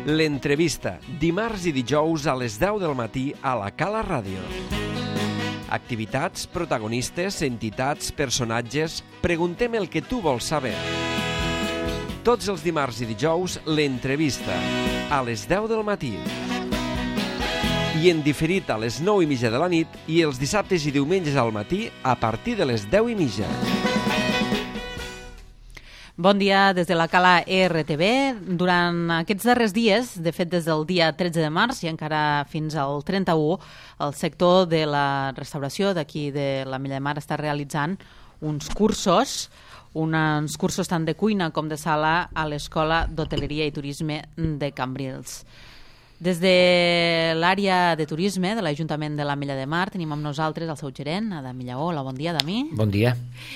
L'entrevista, dimarts i dijous a les 10 del matí a la Cala Ràdio. Activitats, protagonistes, entitats, personatges... Preguntem el que tu vols saber. Tots els dimarts i dijous, l'entrevista, a les 10 del matí. I en diferit a les 9:30 de la nit i els dissabtes i diumenges al matí a partir de les 10:30. Bon dia des de la Cala RTV. Durant aquests darrers dies, de fet des del dia 13 de març i encara fins al 31, el sector de la restauració d'aquí de l'Ametlla de Mar està realitzant uns cursos tant de cuina com de sala a l'Escola d'Hoteleria i Turisme de Cambrils. Des de l'àrea de turisme de l'Ajuntament de l'Ametlla de Mar tenim amb nosaltres el seu gerent, Adami Lleó. Hola, bon dia, Adami. Bon dia.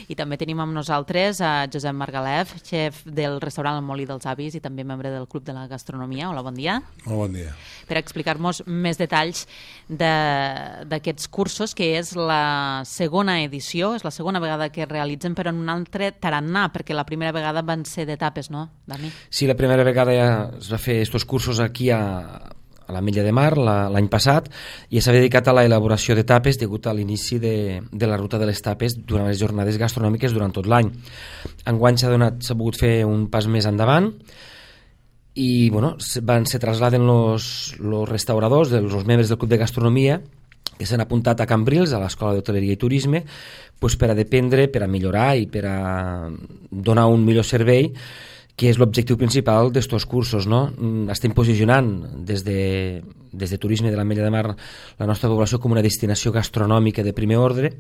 I també tenim amb nosaltres a Josep Margalef, xef del restaurant El Molí dels Avis i també membre del Club de la Gastronomia. Hola, bon dia. Hola, bon dia. Per explicar-nos més detalls d'aquests cursos, que és la segona edició, és la segona vegada que realitzen, però en un altre tarannà, perquè la primera vegada van ser d'etapes, no, Dami? Sí, la primera vegada ja es va fer estos cursos aquí a l'Ametlla de Mar l'any passat i s'ha dedicat a l'elaboració de tapes degut a l'inici de la ruta de les tapes durant les jornades gastronòmiques durant tot l'any. Enguany s'ha pogut fer un pas més endavant i bueno, se trasladen els restauradors, els membres del Club de Gastronomia que s'han apuntat a Cambrils, a l'Escola d'Hoteleria i Turisme, per a dependre, per a millorar i per a donar un millor servei, que és l'objectiu principal d'estos cursos, no? Estem posicionant des de Turisme de l'Ametlla de Mar la nostra població com una destinació gastronòmica de primer ordre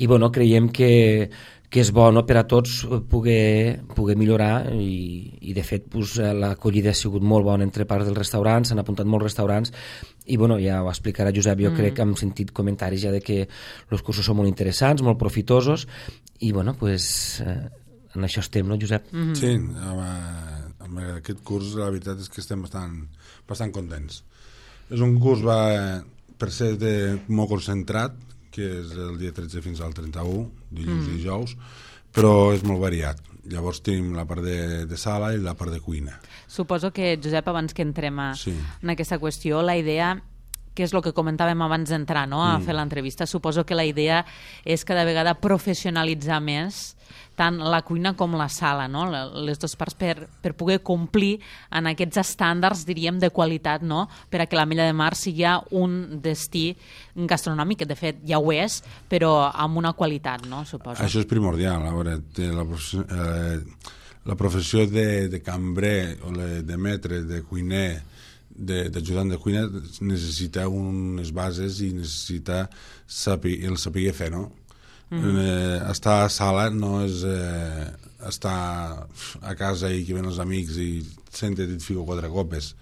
i bueno, creiem que és bo, no, per a tots poder millorar i de fet l'acollida ha sigut molt bona entre part dels restaurants, s'han apuntat molts restaurants i bueno, ja ho explicarà Josep, jo crec que hem sentit comentaris ja de que els cursos són molt interessants, molt profitosos i bueno, pues... en això estem, no, Josep? Sí, amb aquest curs la veritat és que estem bastant contents. És un curs per ser molt concentrat, que és el dia 13 fins al 31, dilluns i dijous, però és molt variat. Llavors tenim la part de sala i la part de cuina. Suposo que, Josep, abans que entrem en aquesta qüestió, la idea, que és el que comentàvem abans d'entrar, no?, a fer l'entrevista, suposo que la idea és cada vegada professionalitzar més tant la cuina com la sala, no?, les dues parts per poder complir en aquests estàndards, diríem, de qualitat, no?, per a que l'Ametlla de Mar sigui un destí gastronòmic, que de fet ja ho és, però amb una qualitat, no?, suposo. Això és primordial. A veure, la professió de cambrer o de maître, de cuiner, d'ajudant de cuina necessita unes bases i necessita el saber fer, no? Estar a sala no és estar a casa i que ven els amics i senta't i et fico 4 copes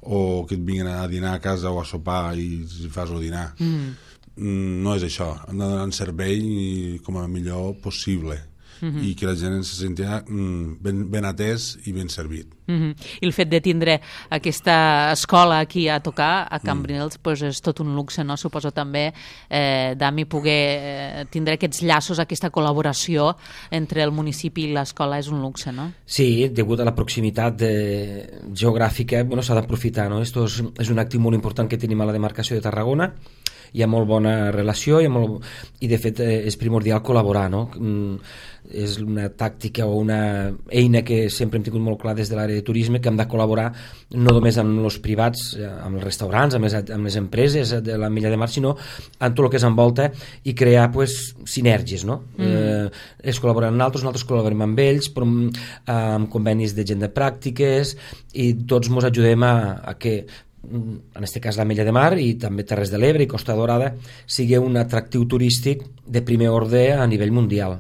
o que et vinguin a dinar a casa o a sopar i fas el dinar. No és això. Hem de donar un servei com a millor possible i que la gent se senti ben atès i ben servit. I el fet de tindre aquesta escola aquí a tocar, a Cambrils, és tot un luxe, no? Suposo també, Dami, poder tindre aquests llaços, aquesta col·laboració entre el municipi i l'escola és un luxe, no? Sí, degut a la proximitat geogràfica s'ha d'aprofitar, no? Esto és un actiu molt important que tenim a la demarcació de Tarragona, hi ha molt bona relació i de fet és primordial col·laborar, no? És una tàctica o una eina que sempre hem tingut molt clar des de l'àrea de turisme, que hem de col·laborar no només amb els privats, amb els restaurants, amb les empreses de l'Ametlla de Mar, sinó amb tot el que s'envolta i crear sinergies, no? És col·laborar amb nosaltres col·laborem amb ells, amb convenis de gent de pràctiques i tots ens ajudem a que en aquest cas l'Ametlla de Mar i també Terres de l'Ebre i Costa Dorada sigui un atractiu turístic de primer ordre a nivell mundial.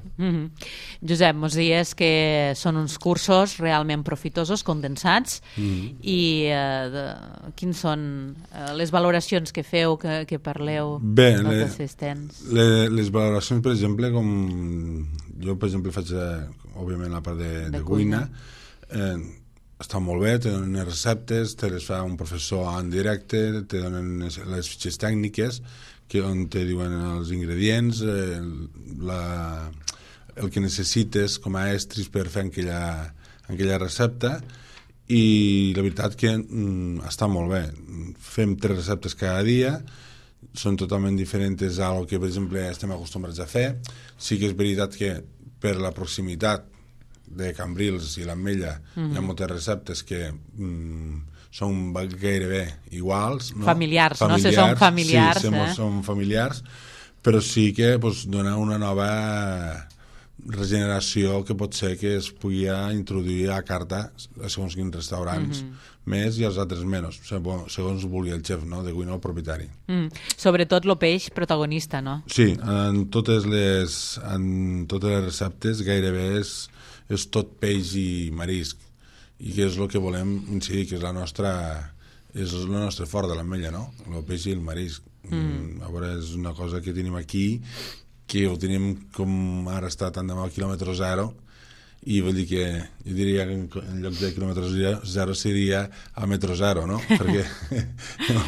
Josep, mos dies que són uns cursos realment profitosos, condensats i quins són les valoracions que feu, que parleu dels assistents? Les valoracions, per exemple, com jo per exemple faig òbviament la part de cuina, està molt bé, te donen les receptes, te les fa un professor en directe, te donen les fitxes tècniques on te diuen els ingredients, el que necessites com a estris per fer aquella recepta i la veritat que està molt bé. Fem 3 receptes cada dia, són totalment diferents a lo que, per exemple, estem acostumbrats a fer. Sí que és veritat que per la proximitat de Cambrils i l'Ametlla hi ha moltes receptes que són gairebé iguals, no? Familiars, no? Si són familiars. Sí, són familiars, però sí que dona una nova regeneració que pot ser que es pugui introduir a la carta a segons quins restaurants més i als altres menys, segons vulgui el xef, no? De cuina o propietari. Sobretot el peix protagonista, no? Sí, en totes les receptes gairebé és tot peix i marisc, i que és el que volem incidir, que és el nostre fort de l'Ametlla, no? El peix i el marisc. A veure, és una cosa que tenim aquí, que ho tenim com ara està tant demà a quilòmetre zero, i vull dir que jo diria que en lloc de quilòmetre zero seria a metro zero, no? Perquè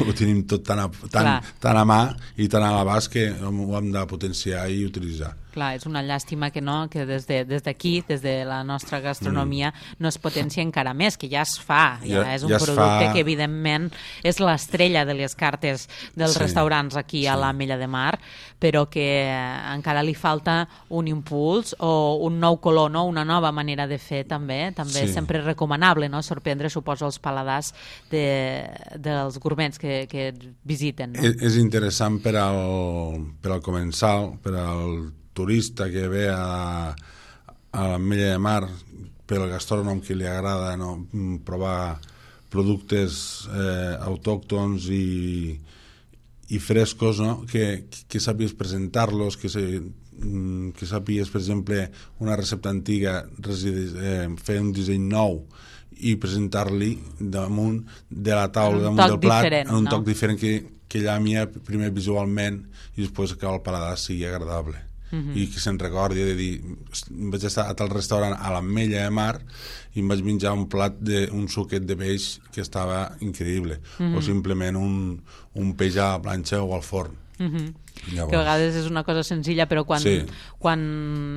ho tenim tot tan a mà i tan a l'abast que ho hem de potenciar i utilitzar. Clar, és una llàstima que no, que des d'aquí, des de la nostra gastronomia, no es potencia encara més, que ja es fa, ja és un producte que evidentment és l'estrella de les cartes dels restaurants aquí a l'Ametlla de Mar, però que encara li falta un impuls o un nou color, no? Una nova manera de fer també és sempre recomanable, no? Sorprendre, suposo, els paladars dels gourmets que visiten. No? És interessant per al comensal, per al turista que ve a l'Ametlla de Mar, per al gastrònom que li agrada, no, provar productes autòctons i frescos, no, que sàpies presentar-los, que sàpies, per exemple, una recepta antiga, fer un disseny nou i presentar-li damunt de la taula, damunt del plat, en un toc diferent que llami primer visualment i després que el paladar sigui agradable. I que se'n recordi de dir, vaig estar a tal restaurant a l'Ametlla de Mar i em vaig menjar un plat d'un suquet de peix que estava increïble, o simplement un peix a la planxa o al forn. Que a vegades és una cosa senzilla, però quan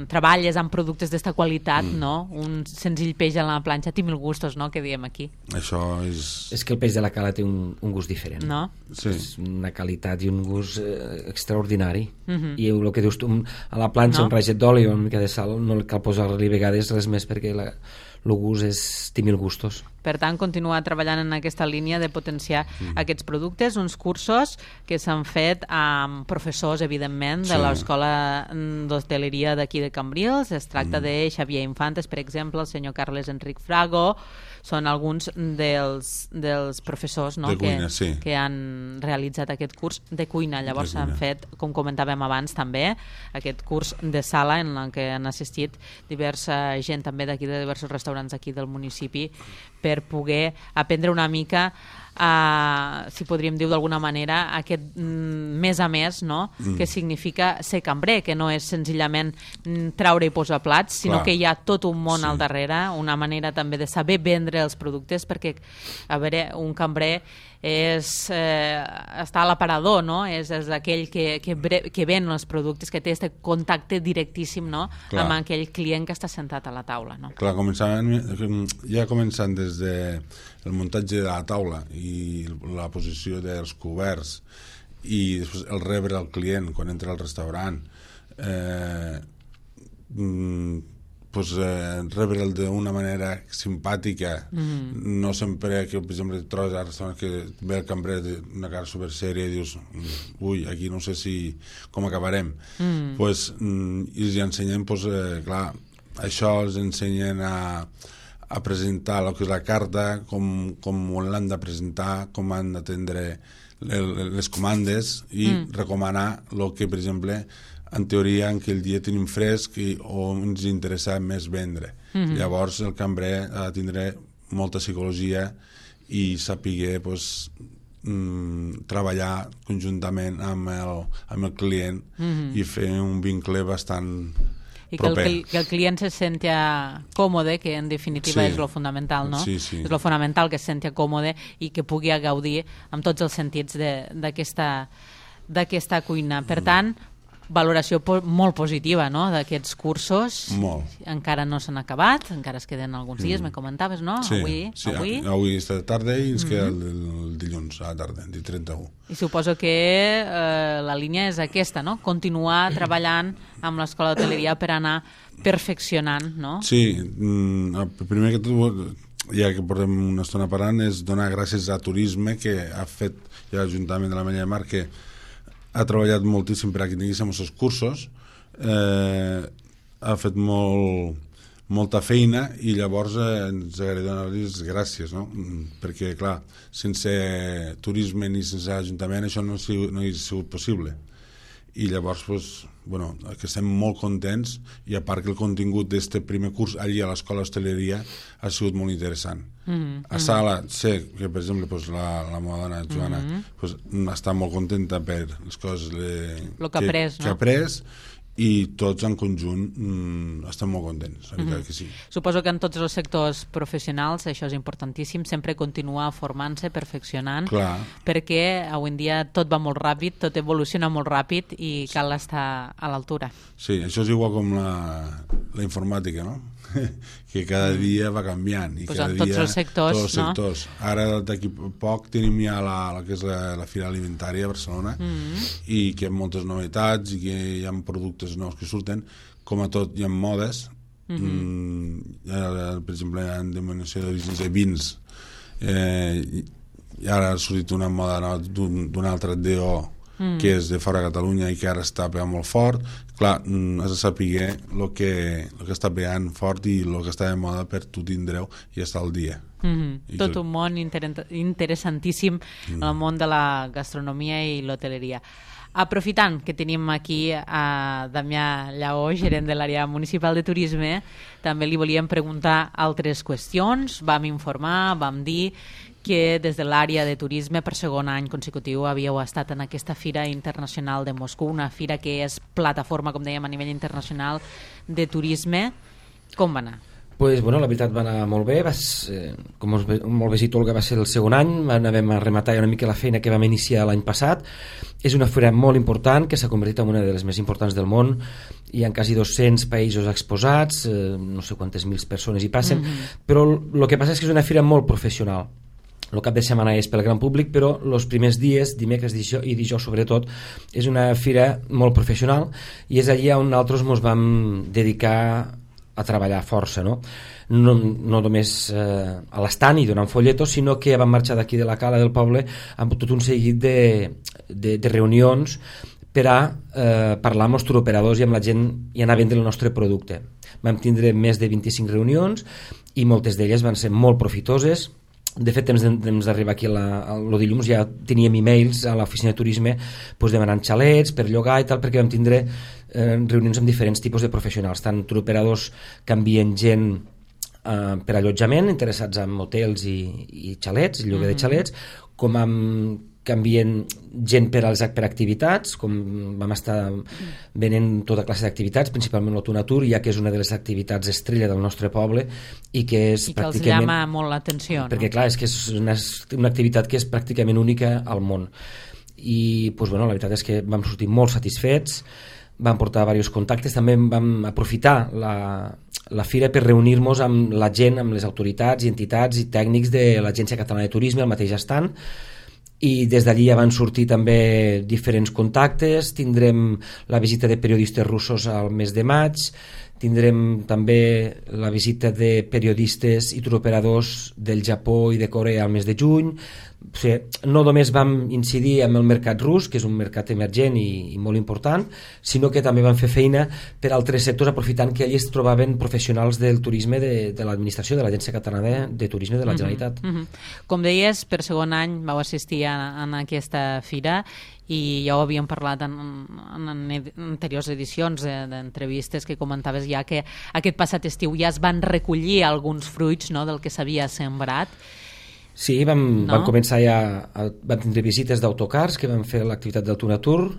treballes amb productes d'esta qualitat, no? Un senzill peix a la planxa té mil gustos, no? Que diem aquí. Això és... És que el peix de la cala té un gust diferent. No? Sí. És una qualitat i un gust extraordinari. I el que dius tu, a la planxa un raget d'oli o una mica de sal, no cal posar-li vegades res més perquè el gust té mil gustos. Per tant, continuar treballant en aquesta línia de potenciar aquests productes, uns cursos que s'han fet amb professors, evidentment, de l'Escola d'Hostaleria d'aquí de Cambrils. Es tracta de Xavier Infantes, per exemple, el senyor Carles Enric Frago. Són alguns dels professors, no? De cuina, que han realitzat aquest curs de cuina. Llavors s'han fet, com comentàvem abans també, aquest curs de sala en què han assistit diversa gent també d'aquí, de diversos restaurants aquí del municipi, per poder aprendre una mica si podríem dir d'alguna manera aquest més a més, no? Que significa ser cambrer, que no és senzillament traure i posar plats, sinó que hi ha tot un món al darrere, una manera també de saber vendre els productes, perquè a veure, un cambrer està a l'aparador, no? És aquell que ven els productes, que té aquest contacte directíssim, no? Amb aquell client que està sentat a la taula, no? Clar, ja començant des del muntatge de la taula i la posició dels coberts i després el rebre al client quan entra al restaurant, rebre'l d'una manera simpàtica, no sempre que, per exemple, et trobes al restaurant que ve el cambrer d'una cara supersèria i dius, ui, aquí no sé com acabarem. I els ensenyen, clar, això els ensenyen a presentar el que és la carta, com l'han de presentar, com han d'atendre les comandes i recomanar el que, per exemple, en teoria en aquell dia tenim fresc o ens interessa més vendre. Llavors el cambrer ha de tindre molta psicologia i saber treballar conjuntament amb el client i fer un vincle bastant proper. I que el client se senti còmode, que en definitiva és lo fonamental, no? Sí. És lo fonamental, que se senti còmode i que pugui gaudir amb tots els sentits d'aquesta cuina. Per tant, valoració molt positiva, no?, d'aquests cursos. Molt. Encara no s'han acabat, encara es queden alguns dies, me comentaves, no? Sí, avui és de tarda i ens queda el dilluns a la tarda, el 31. I suposo que la línia és aquesta, no?, continuar treballant amb l'Escola d'Hoteleria per anar perfeccionant, no? Sí, primer que tot, ja que portem una estona parlant, és donar gràcies a Turisme, que ha fet, i a l'Ajuntament de l'Ametlla de Mar, que ha treballat moltíssim per a que tinguéssim els cursos, ha fet molta feina, i llavors ens agradaria donar-los gràcies, no? Perquè, clar, sense Turisme ni sense l'Ajuntament això no hauria sigut possible. I llavors, que estem molt contents, i a part que el contingut d'aquest primer curs allí a l'Escola d'Hostaleria ha sigut molt interessant. A Sala sé que, per exemple, la meva dona Joana està molt contenta per les coses que ha après, i tots en conjunt estem molt contents, la veritat que sí. Suposo que en tots els sectors professionals això és importantíssim, sempre continuar formant-se, perfeccionant, perquè avui en dia tot va molt ràpid, tot evoluciona molt ràpid i cal estar a l'altura. Sí, això és igual com la informàtica, no? Que cada dia va canviant, i cada dia tots els sectors, Ara d'aquí poc tenim ja la que és la Fira Alimentària a Barcelona, i que hi ha moltes novetats i que hi ha productes nous que surten, com a tot hi ha modes. Per exemple, hi ha denominació d'orígens de vins, i ara ha sortit una moda d'un altre DO que és de fora de Catalunya i que ara està pegant molt fort. Clar, has de saber el que està pegant fort i el que està de moda per tu tindreu i estar al dia. Tot un món interessantíssim, el món de la gastronomia i l'hoteleria. Aprofitant que tenim aquí a Damià Lleó, gerent de l'àrea municipal de turisme, també li volíem preguntar altres qüestions. Vam informar, vam dir que des de l'àrea de turisme per segon any consecutiu havíeu estat en aquesta Fira Internacional de Moscou, una fira que és plataforma, com dèiem, a nivell internacional de turisme. Com va anar? Pues, la veritat va anar molt bé, com molt bé dit Olga, va ser el segon any, vam rematar una mica la feina que vam iniciar l'any passat. És una fira molt important que s'ha convertit en una de les més importants del món, hi ha quasi 200 països exposats, no sé quantes mil persones hi passen, però el que passa és que és una fira molt professional. El cap de setmana és pel gran públic, però els primers dies, dimecres i dijous sobretot, és una fira molt professional, i és allí on nosaltres ens vam dedicar a treballar força, no només a l'estand i donant folletos, sinó que vam marxar d'aquí de la Cala del Poble amb tot un seguit de reunions per a parlar amb els turoperadors i amb la gent i anar a vendre el nostre producte. Vam tindre més de 25 reunions i moltes d'elles van ser molt profitoses. De fet, temps d'arribar aquí el dilluns ja teníem e-mails a l'oficina de turisme demanant xalets per llogar i tal, perquè vam tindre reunions amb diferents tipus de professionals, tant turoperadors que envien gent per allotjament, interessats en hotels i xalets, lloguer de xalets, com amb que envien gent per activitats, com vam estar venent tota classe d'activitats, principalment l'Autonatur, ja que és una de les activitats estrella del nostre poble i que és que els llama molt l'atenció, no? Perquè clar, és que és una activitat que és pràcticament única al món. I la veritat és que vam sortir molt satisfets, vam portar diversos contactes, també vam aprofitar la fira per reunir-nos amb la gent, amb les autoritats i entitats i tècnics de l'Agència Catalana de Turisme, al mateix estand, i des d'allí ja van sortir també diferents contactes. Tindrem la visita de periodistes russos al mes de maig, tindrem també la visita de periodistes i turoperadors del Japó i de Corea al mes de juny. O sigui, no només vam incidir en el mercat rus, que és un mercat emergent i molt important, sinó que també vam fer feina per altres sectors, aprofitant que allí es trobaven professionals del turisme de l'administració, de l'Agència Catalana de Turisme de la Generalitat. Com deies, per segon any vau assistir en aquesta fira i ja ho havíem parlat en anteriors edicions d'entrevistes que comentaves ja que aquest passat estiu ja es van recollir alguns fruits, no?, del que s'havia sembrat. Sí, vam començar vam tindre visites d'autocars que van fer l'activitat del Tunatur,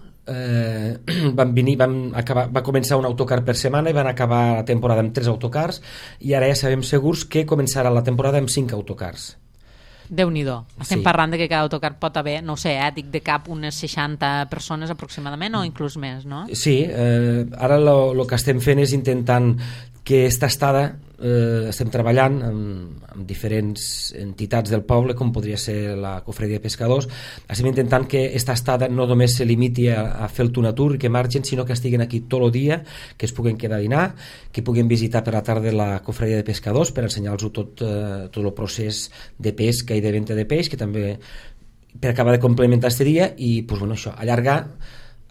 va començar un autocar per setmana i van acabar la temporada amb 3 autocars, i ara ja sabem segurs que començarà la temporada amb 5 autocars. Déu-n'hi-do. Estem parlant de que cada autocar pot haver, no sé, dic de cap unes 60 persones aproximadament o inclús més, no? Sí, ara el que estem fent és intentant que aquesta estada estem treballant amb diferents entitats del poble, com podria ser la Cofradia de Pescadors. Estem intentant que aquesta estada no només se limiti a fer el tunatur i que marxen, sinó que estiguen aquí tot el dia, que es puguen quedar a dinar, que puguen visitar per la tarda la Cofradia de Pescadors per ensenyar-los tot el procés de pesca i de venda de peix, que també per acabar de complementar este dia i pues, bueno, això, allargar.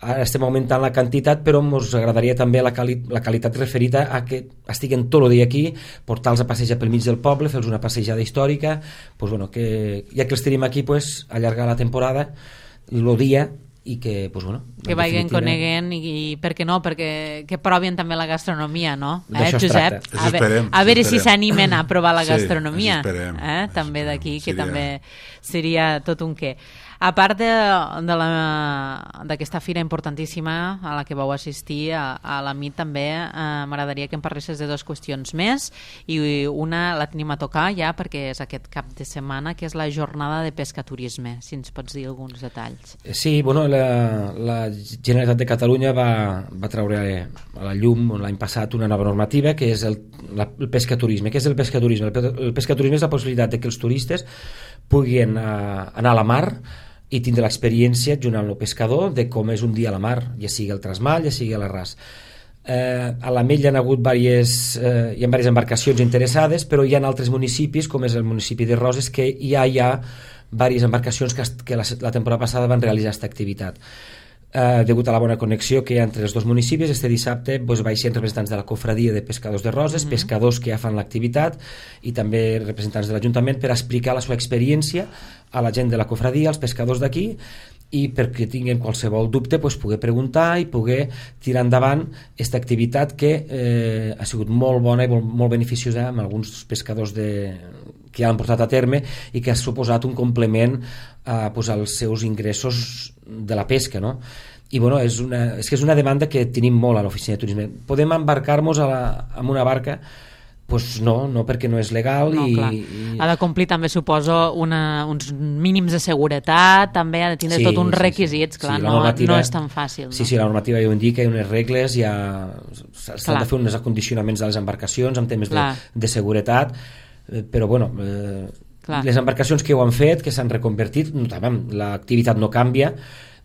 Ara estem augmentant la quantitat, però ens agradaria també la qualitat referida a que estiguen tot el dia aquí, portar-los a passejar pel mig del poble, fer-los una passejada històrica, pues, bueno, que ja que els tenim aquí, pues, allargar la temporada, el dia, i que, pues, bueno, que vagin coneguen i per què no, perquè que provin també la gastronomia, no? Josep? A veure si s'animen a provar la gastronomia, també d'aquí, que també seria tot un què. A part d'aquesta fira importantíssima a la que vau assistir a la MIT, també m'agradaria que em parlessis de dues qüestions més, i una la tenim a tocar ja perquè és aquest cap de setmana, que és la jornada de pescaturisme. Si ens pots dir alguns detalls. Sí, bueno, la Generalitat de Catalunya va treure a la llum l'any passat una nova normativa que és el pescaturisme. Què és el pescaturisme? El pescaturisme és la possibilitat de que els turistes puguin anar a la mar i tindre l'experiència junt amb el pescador de com és un dia a la mar, ja sigui el trasmal, ja sigui a l'arràs. A l'Ametlla hi ha hagut diverses embarcacions interessades, però hi ha altres municipis, com és el municipi de Roses, que ja hi ha diverses embarcacions que la temporada passada van realitzar aquesta activitat. Degut a la bona connexió que hi ha entre els dos municipis, este dissabte baixen representants de la Cofradia de Pescadors de Roses, pescadors que ja fan l'activitat i també representants de l'Ajuntament per explicar la seva experiència a la gent de la Cofradia, als pescadors d'aquí, i perquè tinguin qualsevol dubte poder preguntar i poder tirar endavant aquesta activitat que ha sigut molt bona i molt beneficiosa amb alguns pescadors que ja l'han portat a terme i que ha suposat un complement als seus ingressos de la pesca, no? I bueno, és que és una demanda que tenim molt a l'oficina de turisme. Podem embarcar-nos amb una barca? Pues no, perquè no és legal. Ha de complir també, suposo, uns mínims de seguretat, també ha de tindre tot uns requisits, clar, no és tan fàcil. Sí, la normativa ja ho indica, hi ha unes regles, s'han de fer uns acondicionaments a les embarcacions amb temes de seguretat, però bueno, les embarcacions que ho han fet, que s'han reconvertit, l'activitat no canvia.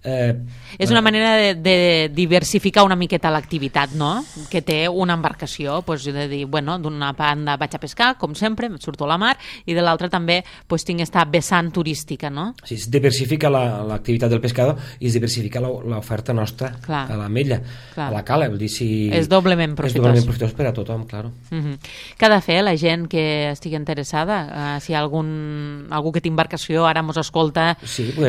És una manera de diversificar una miqueta l'activitat, no? Que té una embarcació, de dir, bueno, d'una banda vaig a pescar, com sempre, surto a la mar, i de l'altra també tinc aquesta vessant turística, no? Sí, es diversifica l'activitat del pescador i es diversifica l'oferta nostra a l'Ametlla, a la cala, vol dir, és doblement profitós. És doblement profitós per a tothom, claro. Què ha de fer la gent que estigui interessada? Si hi ha algú que té embarcació ara mos escolta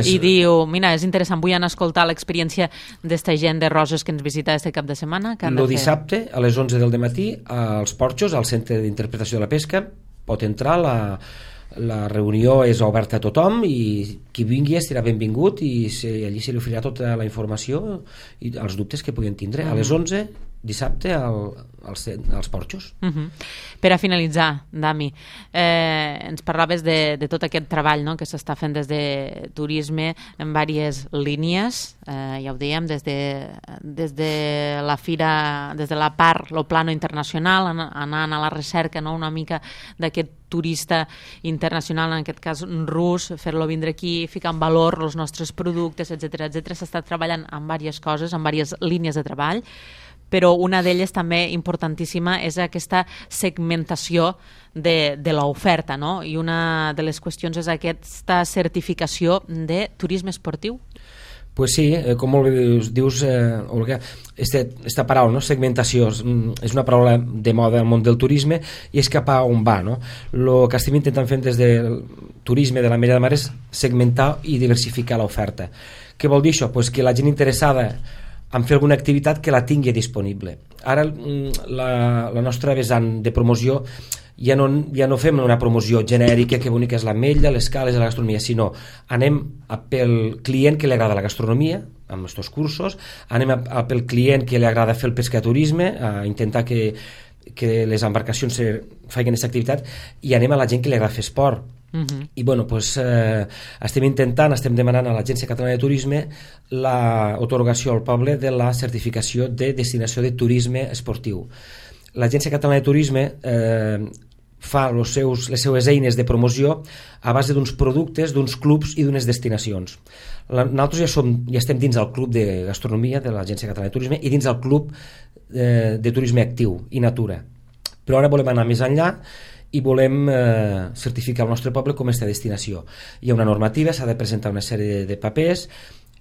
i diu, mira, és interessant, vull anar a escoltar l'experiència d'esta gent de Roses que ens visita este cap de setmana? El dissabte a les 11 del matí als Porxos, al Centre d'Interpretació de la Pesca, pot entrar, la reunió és oberta a tothom i qui vingui estarà benvingut i allí se li oferirà tota la informació i els dubtes que puguin tindre. A les 11 dissabte als Porxos. Per a finalitzar, Dami, ens parlaves de tot aquest treball que s'està fent des de turisme en diverses línies, ja ho dèiem, des de la fira, des de la part, el plano internacional, anant a la recerca una mica d'aquest turista internacional, en aquest cas rus, fer-lo vindre aquí, ficar en valor els nostres productes, etc. S'està treballant en diverses coses, en diverses línies de treball, però una d'elles també importantíssima és aquesta segmentació de l'oferta, no? I una de les qüestions és aquesta certificació de turisme esportiu. Pues sí, com molt bé dius, Olga, aquesta paraula, no? Segmentació, és una paraula de moda al món del turisme i és cap a on va, no? El que estem intentant fer des del turisme de l'Ametlla de Mar és segmentar i diversificar l'oferta. Què vol dir això? Pues que la gent interessada en fer alguna activitat que la tingui disponible. Ara la nostra vessant de promoció ja no fem una promoció genèrica que bonica és l'Ametlla, les cales, la gastronomia, sinó anem pel client que li agrada la gastronomia, amb els cursos, anem pel client que li agrada fer el pescaturisme, a intentar que les embarcacions facin aquesta activitat, i anem a la gent que li agrada fer esport. I bueno, doncs, estem demanant a l'Agència Catalana de Turisme l'atorgació al poble de la certificació de destinació de turisme esportiu. L'Agència Catalana de Turisme fa les seues eines de promoció a base d'uns productes, d'uns clubs i d'unes destinacions. Nosaltres ja estem dins del club de gastronomia de l'Agència Catalana de Turisme i dins del club de turisme actiu i natura. Però ara volem anar més enllà i volem certificar el nostre poble com aquesta destinació. Hi ha una normativa, s'ha de presentar una sèrie de papers,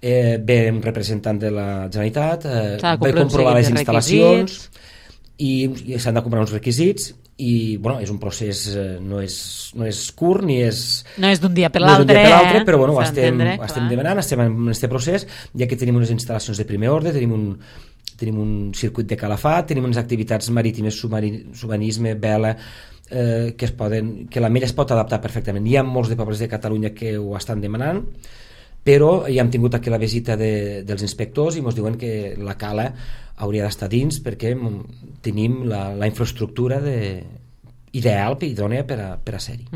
ve un representant de la Generalitat, ve comprovar les instal·lacions i s'han de comprar uns requisits i bueno, és un procés, no és curt ni és... No és d'un dia per l'altre, però bueno, estem demanant, estem en aquest procés, ja que tenim unes instal·lacions de primer ordre, tenim un circuit de calafat, tenim unes activitats marítimes, submarinisme, vela, que l'Ametlla es pot adaptar perfectament. Hi ha molts de pobles de Catalunya que ho estan demanant, però ja hem tingut aquí la visita dels inspectors i ens diuen que la cala hauria d'estar dins perquè tenim la infraestructura ideal i idònea per a ser-hi.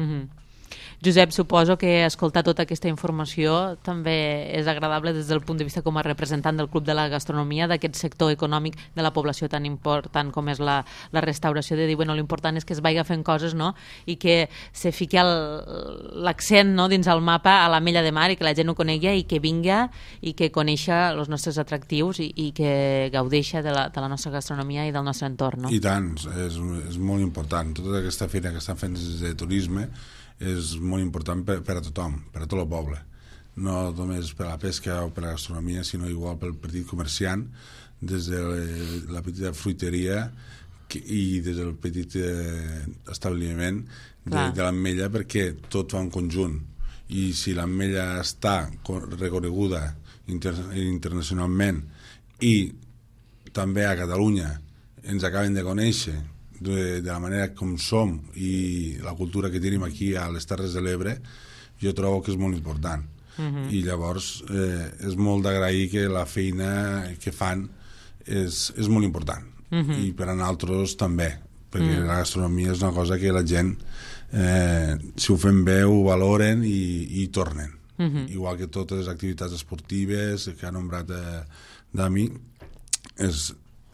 Josep, suposo que escoltar tota aquesta informació també és agradable des del punt de vista com a representant del Club de la Gastronomia, d'aquest sector econòmic de la població tan important com és la restauració, de dir, bueno, l'important és que es vagi fent coses, no? I que se fiqui l'accent, no, dins el mapa a l'Ametlla de Mar i que la gent ho conegui i que vinga i que coneixa els nostres atractius i que gaudeixa de la nostra gastronomia i del nostre entorn, no? I tant, és molt important. Tota aquesta feina que estan fent des de turisme és molt important per a tothom, per a tot el poble, no només per a la pesca o per a la gastronomia, sinó igual pel petit comerciant, des de la petita fruiteria i des del petit establiment de l'Ametlla, perquè tot va en conjunt, i si l'Ametlla està reconeguda internacionalment i també a Catalunya ens acaben de conèixer de la manera com som i la cultura que tenim aquí a les Terres de l'Ebre, jo trobo que és molt important. I llavors és molt d'agrair que la feina que fan és molt important. I per a nosaltres també, perquè la gastronomia és una cosa que la gent, si ho fem bé, ho valoren i tornen. Igual que totes les activitats esportives que ha nombrat Dami,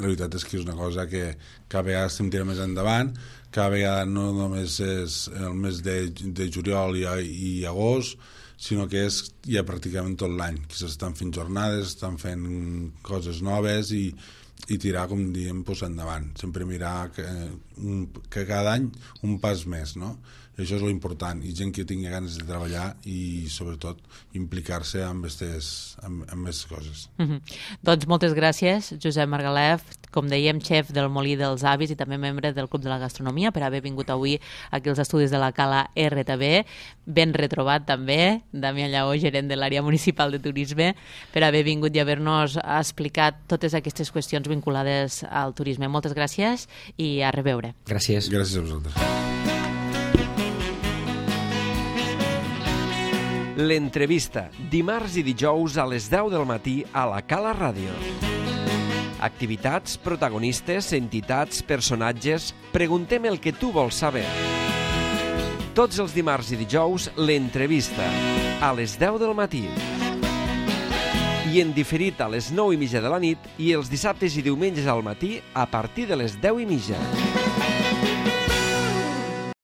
la veritat és que és una cosa que cada vegada estem tirant més endavant, cada vegada no només és el mes de juliol i agost, sinó que és ja pràcticament tot l'any, que s'estan fent jornades, estan fent coses noves i tirar, com diem, endavant. Sempre mirar que cada any un pas més, no? I això és l'important, i gent que tingui ganes de treballar i sobretot implicar-se amb aquestes coses. Doncs moltes gràcies, Josep Margalef, com dèiem, xef del Molí dels Avis i també membre del Club de la Gastronomia, per haver vingut avui aquí als estudis de la Cala RTV. Ben retrobat també, Damià Lleó, gerent de l'àrea municipal de turisme, per haver vingut i haver-nos explicat totes aquestes qüestions vinculades al turisme. Moltes gràcies i a reveure. Gràcies. Gràcies a vosaltres. L'entrevista, dimarts i dijous a les 10 del matí a la Cala Ràdio. Activitats, protagonistes, entitats, personatges... Preguntem el que tu vols saber. Tots els dimarts i dijous, l'entrevista, a les 10 del matí. I en diferit a les 9:30 de la nit i els dissabtes i diumenges al matí a partir de les 10:30.